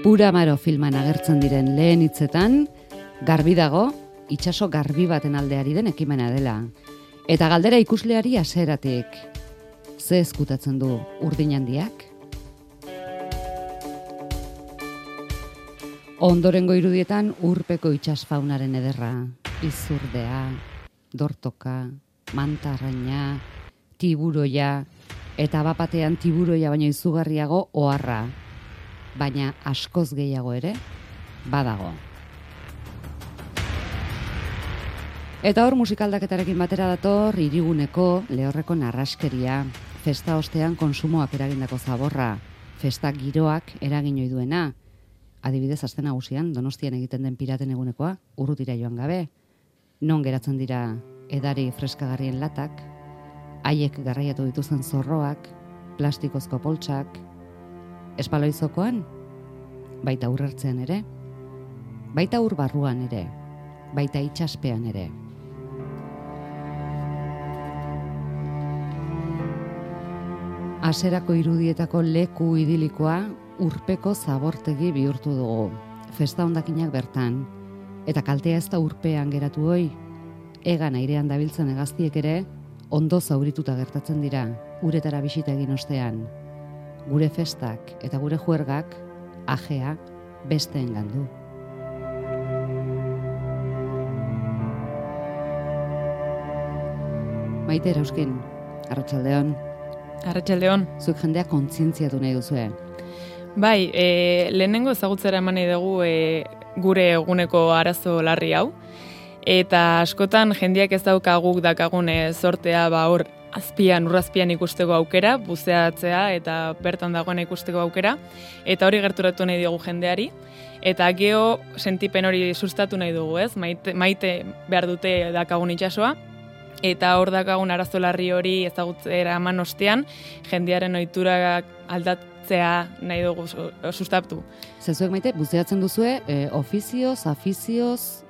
Pura Amaro filman agertzen diren lehen hitzetan, garbi dago, itsaso garbi baten aldeari den ekimena dela. Eta galdera ikusleari hasieratik, ze ezkutatzen du urdin handiak? Ondorengo irudietan urpeko itsasfaunaren ederra, izurdea, dortoka, mantarraina, tiburoia, eta bapatean tiburoia baino izugarriago oharra, baina askoz gehiago ere badago. Eta hor musikaldaketarekin batera dator hiriguneko lehorreko narraskeria, festa ostean konsumoak eragindako zaborra, festa giroak eragin ohi duena. Adibidez, aste nagusian Donostian egiten den piraten egunekoa, urrutira joan gabe. Non geratzen dira edari freskagarrien latak, haiek garraiatu dituzten zorroak, plastikozko poltsak, espaloizokoan, baita urrertzean ere, baita ur barruan ere, baita itsaspean ere. Haserako irudietako leku idilikoa urpeko zabortegi bihurtu dugu, festa hondakinak bertan, eta kaltea ez da urpean geratu hoi, egan airean dabiltzen hegaztiek ere, ondo zaurituta gertatzen dira, uretara bisita egin ostean. Gure festak eta gure juergak, ajea, besteengan du. Maite Erauskin, arratsaldeon. Arratsaldeon. Zuek jendea kontzientziatu nahi duzue. Bai, lehenengo ezagutzera eman nahi dugu gure eguneko arazo larri hau. Eta askotan jendeak ez daukaguk dakagun sortea hor azpian, urrazpian ikusteko aukera, buzeatzea eta bertan dagoena ikusteko aukera. Eta hori gerturatu nahi dugu jendeari. Eta geho sentipen hori sustatu nahi dugu, ez? Maite behar dute dakagun itsasoa. Eta hor dakagun arazo larri hori ezagutzera eman ostean, jendearen ohiturak aldatzea nahi dugu sustatu. Zezuek Maite, buzeatzen duzue, ofizioz, afizioz?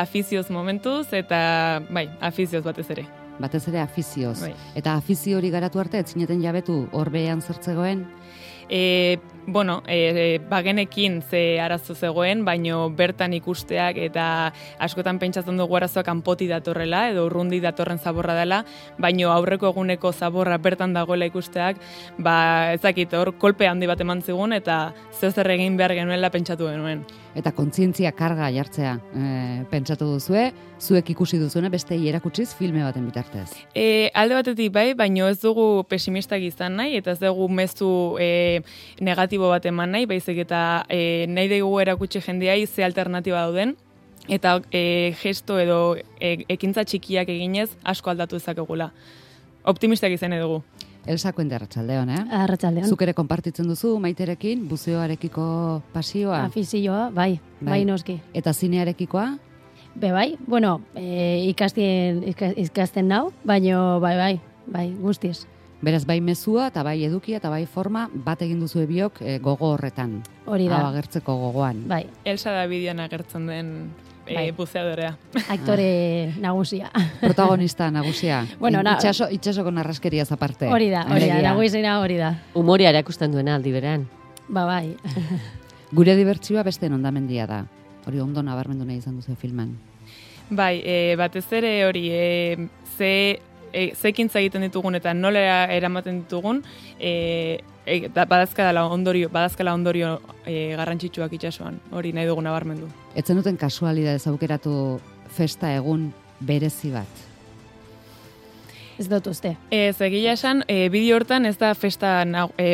Afizioz momentuz, eta bai, afizioz batez ere. Batez ere afizioz. Bai. Eta afizio hori garatu arte, etzineten jabetu horbean zertzegoen? Bagenekin ze arazo zegoen, baino bertan ikusteak eta askotan pentsatzen dugu arazoa kanpoti datorrela edo urrundi datorren zaborra dela, baino aurreko eguneko zaborra bertan dagoela ikusteak, ezakit hor kolpe handi bat eman zigun eta zer egin behar genuela pentsatu genuen. Eta kontzientzia karga jartzea pentsatu duzue, zuek ikusi duzuena bestei erakutsiz filme baten bitartez. Alde batetik bai, baino ez dugu pesimistak izan nahi, eta ez dugu mezu negatibo bat eman nahi, baizik eta nahi dugu erakutsi jendeai ze alternatiba dauden, eta gesto edo ekintza txikiak eginez asko aldatu ezakegula. Optimistak izan dugu. Elsa Kuende, arratsaldeon, Arratsaldeon. Zuk ere konpartitzen duzu Maiterekin buzeoarekiko pasioa? Afizioa, bai noski. Eta zinearekikoa? Bai, bueno, ikasten nau, baino bai, guztiz. Beraz, bai mezua eta bai edukia eta bai forma bat egin duzu biok gogo horretan. Hori da. Hau agertzeko gogoan. Bai. Elsa da bidean agertzen den buzeadorea. Aktore nagusia. Protagonista nagusia. Bueno, itxasoko narraskeriaz aparte. Hori da, nagusiena hori da. Humoria erakusten duena aldi berean. Bai. Gure dibertsioa beste ondamendia da. Hori ondo nabarmendu nahi izan duzu filman. Bai, batez ere hori zekintza egiten ditugun eta nola eramaten ditugun, badazkala ondorio garrantzitsuak itsasoan, hori nahi dugun nabarmendu. Etzen duten kasualidadez aukeratu festa egun berezi bat? Ez dut uste. Egia esan, bideo hortan ez da festa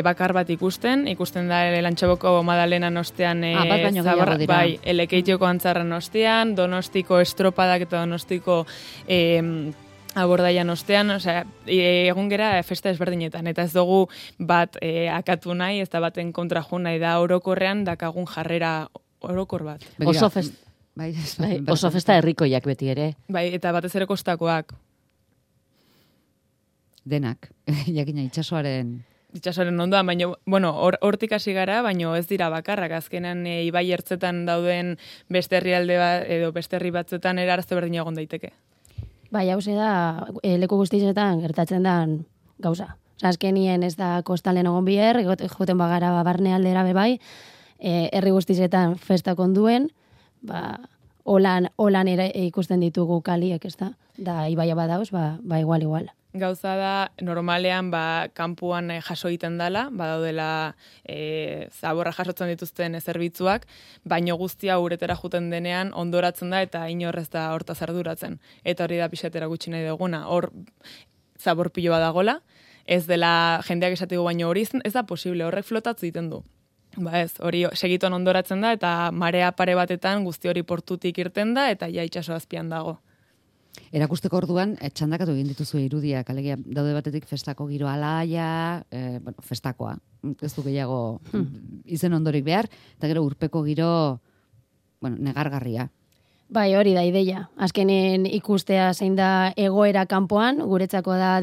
bakar bat ikusten da Lantxaboko Madalenan ostean, bat baino gehiago dira. Bai, Elekeitioko antzarran ostean, Donostiko estropadak eta Donostiko abordaian ostean, egun gera festa ezberdinetan, eta ez dugu bat akatu nahi, ez da baten kontra jo nahi da orokorrean dakagun jarrera orokor bat. Oso festa herrikoiak beti ere. Bai, eta batez ere kostakoak. Denak, jakina itsasoaren ondoan, baina, hortik hasi gara, baina ez dira bakarrak, azkenan ibai ertzetan dauden beste herrialde bat, edo beste herri batzuetan erarazte berdina egon daiteke. Bai, hau da, leku guztietan gertatzen da gauza. Azkenien ez da kostalen egon biher, joten bagara barne aldera bebai, herri guztizetan festak onduen, ba, holan ere ikusten ditugu kaliek, ez da ibaia badauz, ba igual. Gauza da, normalean, kanpuan jaso egiten dela, badaudela zaborra jasotzen dituzten zerbitzuak, baino guztia uretera juten denean ondoratzen da eta inorrez da hortaz arduratzen. Eta hori da pixatera gutxi nahi duguna. Hor zabor pilo badagola, ez dela jendeak esatiko baino hori ez da posible, horrek flotatzu egiten du. Hori segituan ondoratzen da eta marea pare batetan guzti hori portutik irten da eta ja itsaso azpian dago. Erakusteko orduan, txandakatu egin dituzu irudiak, alegia daude batetik festako giro alaia, festakoa, ez du gehiago izen ondorik behar, eta gero urpeko giro, negargarria. Bai, hori da ideia. Azkenen ikustea zein da egoera kanpoan, guretzako da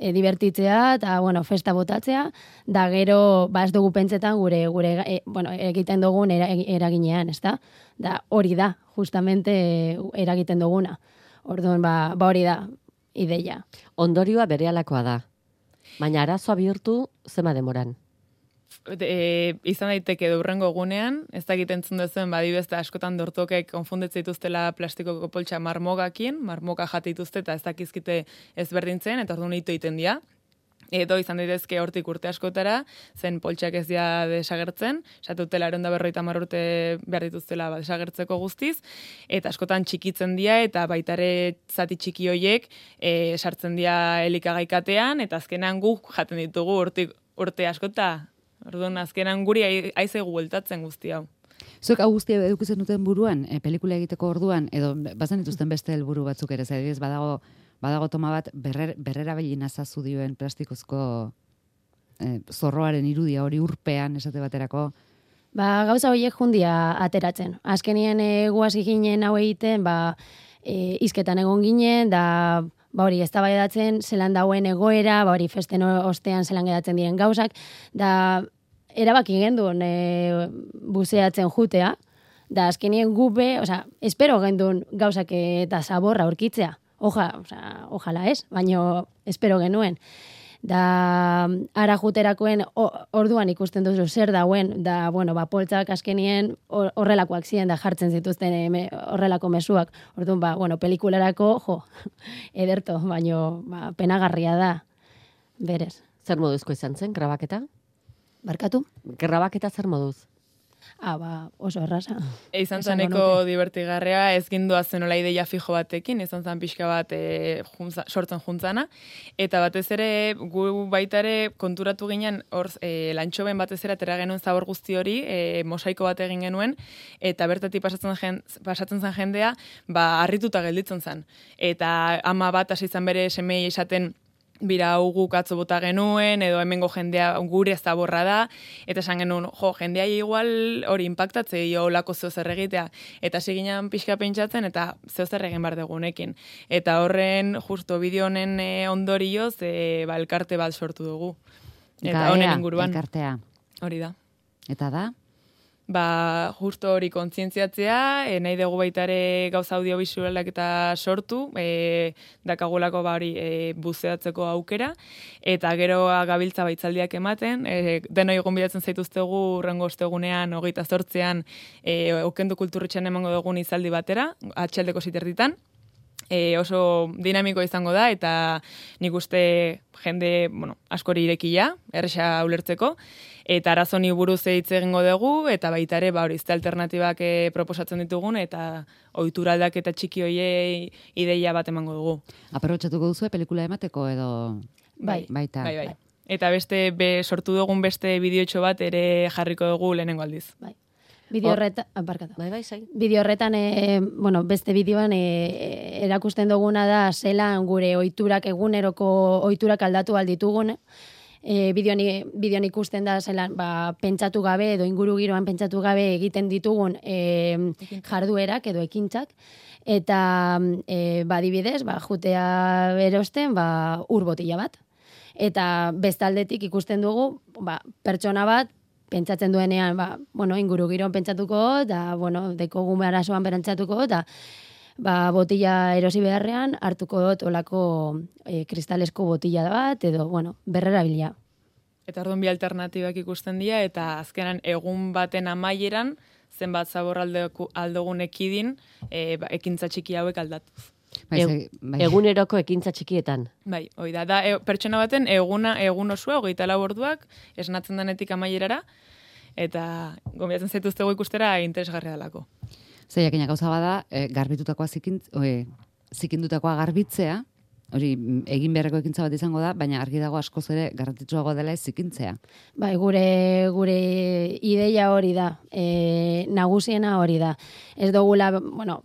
divertitzea eta festa botatzea, da gero ez dugu pentsetan gure egiten dugun eraginean, ezta? Da hori da, justamente eragiten duguna. Orduan, hori da ideia. Ondorioa berehalakoa da. Baina arazoa bihurtu zema demoran. Izan daiteke durrengo egunean, ez da egiten zundezuen, badibezta askotan dortokek konfunditzen dituztela plastikoko poltsa marmogakin, marmoka jate dituzte eta ez dakizkite ezberdintzen, eta orduan ito egiten dira. Edo izan daitezke hortik urte askotara, zen poltsak ez dira desagertzen, esatutela 150 urte behar dituztela desagertzeko guztiz, eta askotan txikitzen dira, eta baitare zati txiki hoiek sartzen dira elikagaikatean, eta azkenan guk jaten ditugu urte askota. Orduan, azkenan guri aizegu bueltatzen guzti hau. Zuek hau guztia edukitzen duten buruan, pelikula egiteko orduan, edo bazen dituzten beste helburu batzuk ere, ez badago toma bat berrera behin azazu dioen plastikozko zorroaren irudia hori urpean esate baterako. Gauza horiek jundia ateratzen. Azkenien guazi ginen hau egiten, izketan egon ginen, da hori eztabaidatzen zelan dauen egoera, hori festen ostean zelan gedatzen diren gauzak, da erabaki gendun buzeatzen jutea, da azkenien gube, espero gendun gauzak eta zaborra aurkitzea. Ojala ez, baino espero genuen. Da ara juterakoen orduan ikusten duzu zer dauen, da poltsak azkenien horrelakoak ziren da jartzen zituzten horrelako mezuak. Orduan pelikularako ederto, baino penagarria da. Berez. Zer moduzko izan zen grabaketa? Barkatu? Grabaketa zer moduz? Oso erraza. Izan zaneko divertigarrea, ez gindua zenola ideia fijo batekin, izan zan pixka bat sortzen juntzana, eta batez ere, gu baitare konturatu ginen, lantxoben batez ere atera genuen zabor guzti hori, mosaiko bat egin genuen, eta bertatik pasatzen zen jendea, harrituta gelditzen zen. Eta ama bat hasi zan bere semei esaten, bira guk atzo bota genuen, edo hemengo jendea gure zaborra da, eta esan genuen, jendea igual hori impactatze, olako zeozer egitea, eta siginan pixka pentsatzen, eta zeozer egin behar dugunekin. Eta horren, justo bideo honen ondorioz, elkarte bat sortu dugu. Eta honen inguruan. Elkartea. Hori da. Eta da? Justo hori kontzientziatzea, nahi dugu baitare gauza audiovisualak eta sortu, dakagulako hori buzeatzeko aukera, eta gero gabiltza baitzaldiak ematen, denoi gonbidatzen zaituztegu urrengo ostegunean, 28an, Okendu Kulturretxean emango dugun izaldi batera, atxaldeko ziterditan, oso dinamiko izango da, eta nik uste jende askori irekia, erresa ulertzeko, eta arazoni buruz hitz egingo dugu, eta baita ere izte alternatibak proposatzen ditugun, eta ohitura aldaketa txiki hoiei ideia bat emango dugu. Aprobetxatuko duzu pelikula emateko edo? Bai. Baita. Bai. Eta sortu dugun beste bideotxo bat ere jarriko dugu lehenengo aldiz. Bai. Bideo horretan, Bideo horretan, beste bideoan erakusten duguna da zelan gure ohiturak eguneroko ohiturak aldatu alditugun. Bideoan ikusten da zelan pentsatu gabe edo inguru giroan pentsatu gabe egiten ditugun jarduerak edo ekintzak. Eta badibidez, jutea erosten ur botila bat. Eta bestaldetik ikusten dugu pertsona bat pentsatzen duenean, inguru giroan pentsatuko, da, deko gume arazoan berantzatuko, da, botila erosi beharrean, hartuko dut olako kristalesko botila bat, edo, berrera bilia. Eta orduan bi alternatibak ikusten dira, eta azkenan egun baten amaieran, zenbat zabor aldogun ekidin, ekintza txiki hauek aldatuz. Eguneroko ekintza txikietan. Bai, hoi da pertsona baten egun osua, 24 orduak, esnatzen denetik amaierara, eta gonbidatzen zaituztegu ikustera interesgarria dalako. Zeiakina gauza bada, garbitutakoa zikindutakoa garbitzea, hori egin beharreko ekintza bat izango da, baina argi dago askoz ere garrantzitsuagoa dela ez zikintzea. Bai, gure ideia hori da, nagusiena hori da. Ez dugula, bueno,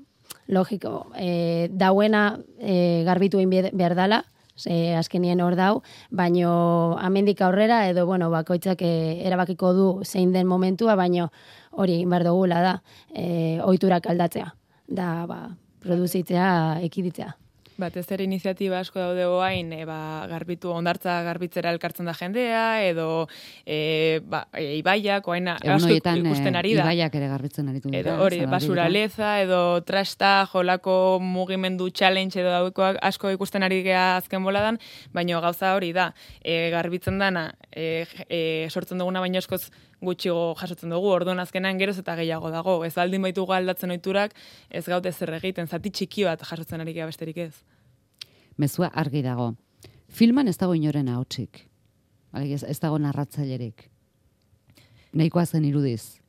logiko, dauena garbitu egin behar dela, azkenien hor dau, baino amendik aurrera edo, bueno, bakoitzak erabakiko du zein den momentua, baino hori egin behar dugula da, ohiturak aldatzea, da, produzitzea, ekiditzea. Batez ere iniziatiba asko daude oain, garbitu, ondartza garbitzera elkartzen da jendea, edo ibaiak, oain asko ikusten ari da. Ibaiak ere garbitzen aritu dira. Edo hori, basuraleza, edo trasta, jolako mugimendu challenge, edo daukoak asko ikusten ari gea azken boladan, baina gauza hori da, garbitzen dana, sortzen duguna baina askoz gutxigo jasotzen dugu, orduan azkenan geroz eta gehiago dago. Ez baldin baitugu aldatzen ohiturak, ez gaute zer egiten, zati txiki bat jasotzen ari gea besterik ez. Mezua argi dago. Filman ez dago inoren ahotsik. Ez dago narratzailerik. Nahikoa zen irudiz.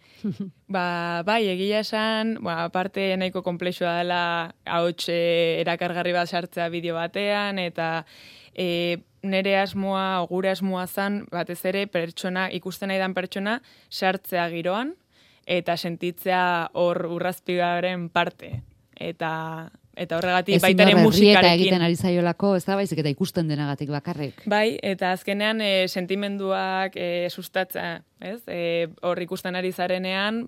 Bai, egia esan, aparte nahiko konplexua dela ahots erakargarri bat sartzea bideo batean, eta nere asmoa, gure asmoa zen, batez ere pertsona, ikusten nahi dan pertsona, sartzea giroan, eta sentitzea hor urrazpigaren parte. Eta horregatik baita ere musikarekin. Eta egiten ari zaiolako, ez da baizik eta ikusten denagatik bakarrik. Bai, eta azkenean sentimenduak sustatza, ez? Hor ikusten ari zarenean,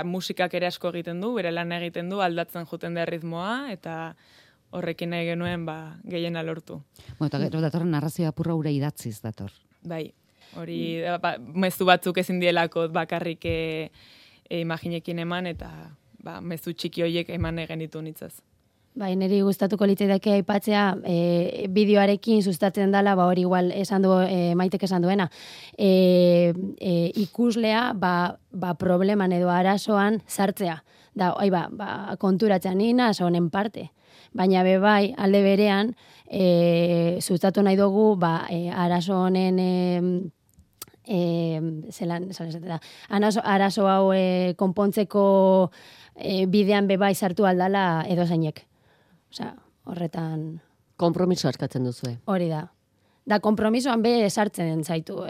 musikak ere asko egiten du, bere lan egiten du, aldatzen joten da ritmoa, eta horrekin nahi genuen gehiena lortu. Eta gero datorren narrazioa apurra ura idatziz dator. Bai, hori mezu batzuk ezin dielako bakarrik imaginekin eman, eta mezu txiki horiek eman egenitu nitzaz. Bai, niri gustatuko litzaidake aipatzea bideoarekin sustatzen dela, hori igual esan du Maitek esan duena. Ikuslea probleman edo arazoan sartzea. Da, konturatzen nina honen parte. Baina bai, alde berean, sustatu nahi dugu, arazo honen arazo hau konpontzeko bidean bai sartu aldala edo zeinek. Osea, horretan... Kompromiso askatzen duzue. Hori da. Da, kompromisoan sartzen zaitu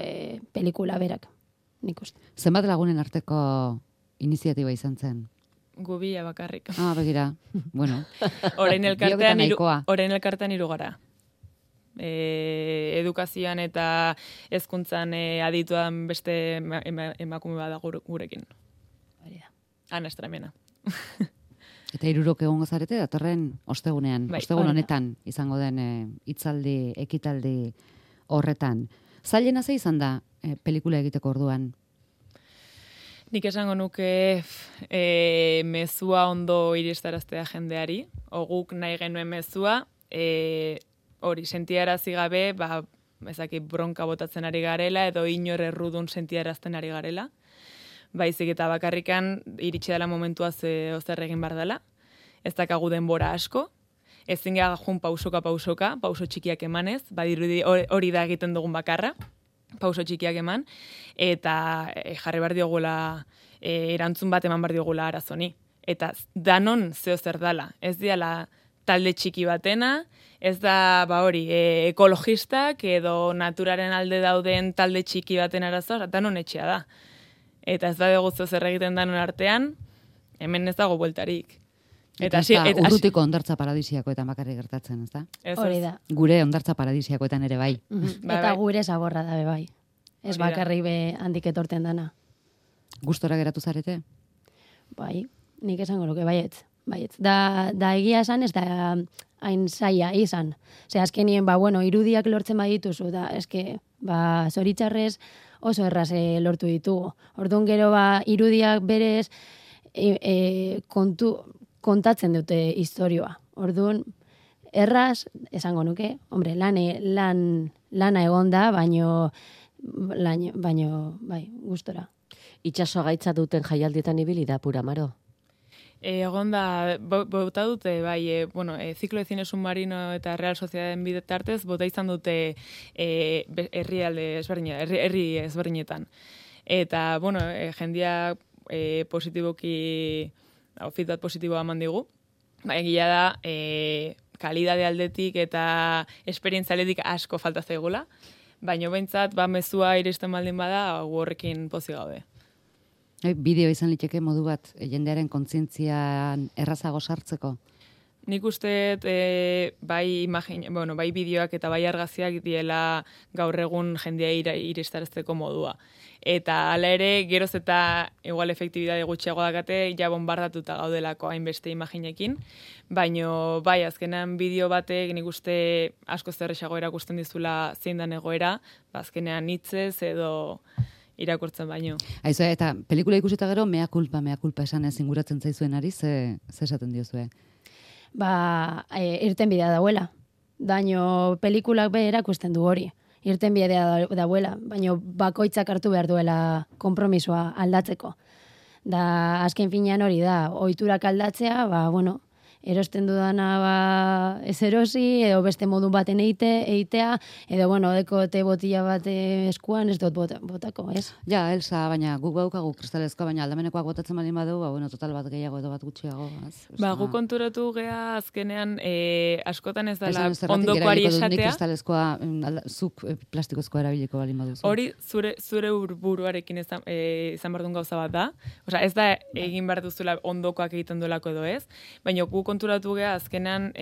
pelikula berak, nik uste. Zenbat lagunen arteko iniziatiba izan zen? Gubia bakarrik. Begira. Bueno. Orain elkartean 3 gara. Edukazioan eta hezkuntzan adituan beste emakume bada gurekin. Hori da. Ana Estremena. Eta 3 egongo zarete datorren ostegunean. Bai, ostegun honetan izango den hitzaldi, ekitaldi horretan. Zailena ze izan da pelikula egiteko orduan? Nik esango nuke mezua ondo iristaraztea jendeari, guk nahi genuen mezua, hori sentiarazi gabe, ezaki bronka botatzen ari garela, edo inor errudun sentiarazten ari garela. Baizik eta bakarrikan iritsi dela momentua zer egin bar dela, ez dakagu denbora asko, ezin gara jun pausoka, pauso txikiak emanez, badirudi hori da egiten dugun bakarra, pauso txikiak eman, eta jarri behar diogula, erantzun bat eman behar diogula arazoni. Eta danon zeo zer dala, ez diala talde txiki batena, ez da ekologistak edo naturaren alde dauden talde txiki baten arazoa, danon etxea da. Eta ez da dugu zeo zer egiten danon artean, hemen ez dago bueltarik. Eta urrutiko ondartza paradisiakoetan bakarrik gertatzen, ez da? Hori da. Gure ondartza paradisiakoetan ere bai. Eta gure zaborra da bai. Ez bakarrik handik etorten dana. Gustora geratu zarete? Bai, nik esango luke, baietz. Da egia esan, ez da hain zaila izan. Ze azkenien, irudiak lortzen badituzu, da, eske, zoritxarrez oso erraz lortu ditugu. Orduan gero, irudiak berez kontatzen dute historioa. Orduan, erraz, esango nuke, hombre, lana egon da, baino baino, bai, gustora. Itxaso gaitza duten jaialdietan ibili da pura maro. Egon da, bota dute, bai, Ciclo de Cine Submarino eta Real Sociedadeen bitartez, bota izan dute herri ezberdinetan. Eta, jendia positiboki, feedback positiboa eman digu. Egia da, kalidade aldetik eta esperientzia aldetik asko falta zaigula, baina behintzat, mezua iristen baldin bada, horrekin pozik gaude. Bideo izan liteke modu bat, jendearen kontzientzian errazago sartzeko? Nik uste bai bideoak eta bai argazkiak diela gaur egun jendea iristarazteko modua. Eta hala ere, geroz eta igual efektibidade gutxiago dakate, ja bombardatuta gaudelako hainbeste imaginekin, baino bai, azkenean bideo batek nik uste asko zerrexago erakusten dizula zein dan egoera, azkenean hitzez edo irakurtzen baino. Aizu, eta pelikula ikusita gero, mea culpa esan inguratzen zaizuen ari, ze esaten diozue? Irten bidea dauela. Daño pelikulak be erakusten du hori. Irten bidea dauela, baino bakoitzak hartu behar duela konpromisoa aldatzeko. Da, azken finean hori da, ohiturak aldatzea, erosten dudana ez erosi, edo beste modu baten eitea, edo deko te botila bat eskuan ez dut botako, ez? Ja, Elsa, baina guk baukagu kristalezko, baina aldamenekoak botatzen baldin badu, total bat gehiago edo bat gutxiago. Guk konturatu gea azkenean askotan ez dela ondokoari esatea. Kristalezkoa zuk plastikozkoa erabiliko baldin baduzu. Hori zure buruarekin izan behar duen gauza bat da. Osea, ez da egin behar duzula ondokoak egiten duelako edo ez, baina guk konturatu gea azkenean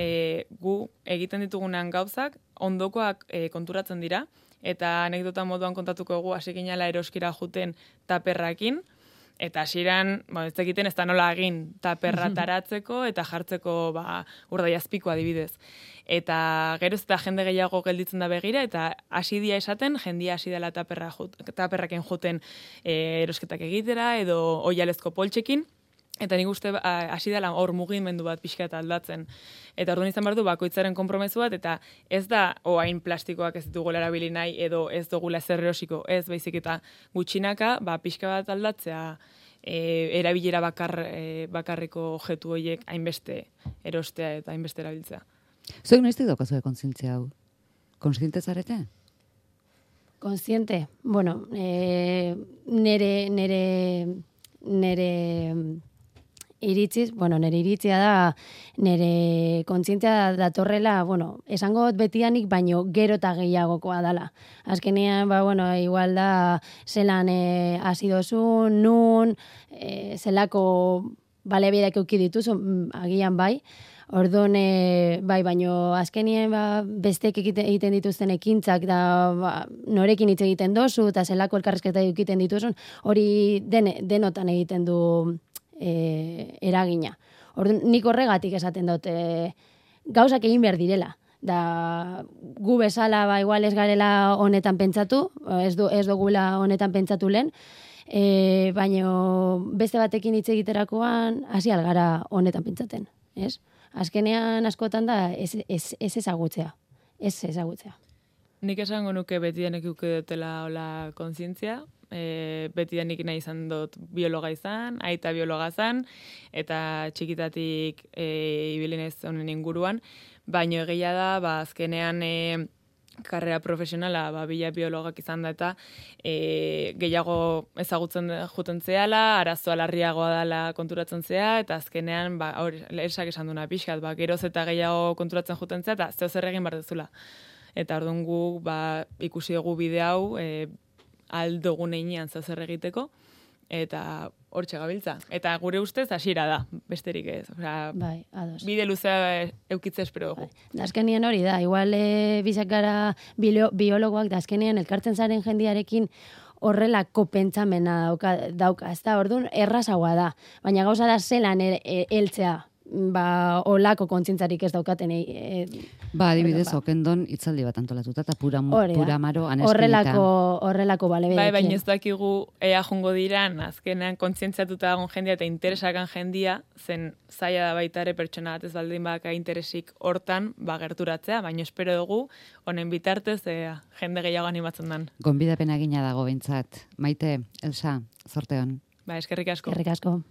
gu egiten ditugunean gauzak ondokoak konturatzen dira, eta anekdota moduan kontatuko gu hasi ginela eroskira juten taperrakin, eta hasieran, ez egiten ez da nola egin taperra taratzeko eta jartzeko urdaiazpiko adibidez. Eta geroz eta jende gehiago gelditzen da begira, eta hasi dia esaten, jendia hasi dela taperraken juten erosketak egitera, edo oialezko poltsekin, eta nik uste hasi dela hor mugimendu bat pixka eta aldatzen. Eta orduan izan behar du bakoitzaren konpromezu bat, eta ez da oain plastikoak ez dugula erabili nahi, edo ez dugula zer erosiko, ez baizik eta gutxinaka, pixka bat aldatzea erabilera bakarriko objektu horiek hainbeste erostea eta hainbeste erabiltzea. Zuek noiztik daukazue kontzientzia hau? Kontziente zarete? Kontziente? Nere iritziz, nere iritzia da, nere kontzientzia datorrela, esango betianik, baino gero eta gehiagokoa dala. Azkenean, igual da, zelan hasi dozu, nun, zelako baliabideak eduki dituzu, agian bai. Orduan, baino azkenien bestek egiten dituzten ekintzak da norekin hitz egiten dozu eta zelako elkarrizketa egiten dituzun, hori denotan egiten du eragina. Orduan, nik horregatik esaten dut gauzak egin behar direla. Da, gu bezala igual ez garela honetan pentsatu, ez dugula honetan pentsatu lehen, baino beste batekin hitz egiterakoan hasi algara honetan pentsaten, ez? Azkenean askotan da ez ezagutzea. Nik esango nuke betidanik dutela hola kontzientzia, betidanik nahi izan dut biologa izan, aita biologa izan, eta txikitatik ibili naiz honen inguruan, baino egia da, azkenean karrera profesionala bila biologak izan da eta gehiago ezagutzen juten zehala, arazoa larriagoa dela konturatzen zea, eta azkenean, Elsak esan duna pixkat, geroz eta gehiago konturatzen juten zea, eta zeo zer egin behar dezula. Eta orduan gu ikusi dugu bide hau aldogun einean zeo zer egiteko, eta hortxe gabiltza. Eta gure ustez hasiera da, besterik ez. Bai, ados. Bide luzea eukitze espero dugu. Da azkenean hori da, igual bizak gara biologoak, da azkenean elkartzen zaren jendiarekin horrelako pentsamena dauka, ez da, orduan errazagoa da. Baina gauza da zelan heltzea olako kontzientzarik ez daukaten. Adibidez, okendon itzaldi bat antolatuta, eta pura maro horrelako bale Bai, baina ez dakigu ea jongo diran, azkenean kontzientziatuta dagoen jendia eta interesakan jendia, zen zaila da baita ere pertsona bat ez baldin baka interesik hortan, gerturatzea, baina espero dugu, honen bitartez, jende gehiago animatzen dan. Gonbidapena egina dago behintzat. Maite, Elsa, zorte hon. Eskerrik asko. Eskerrik asko.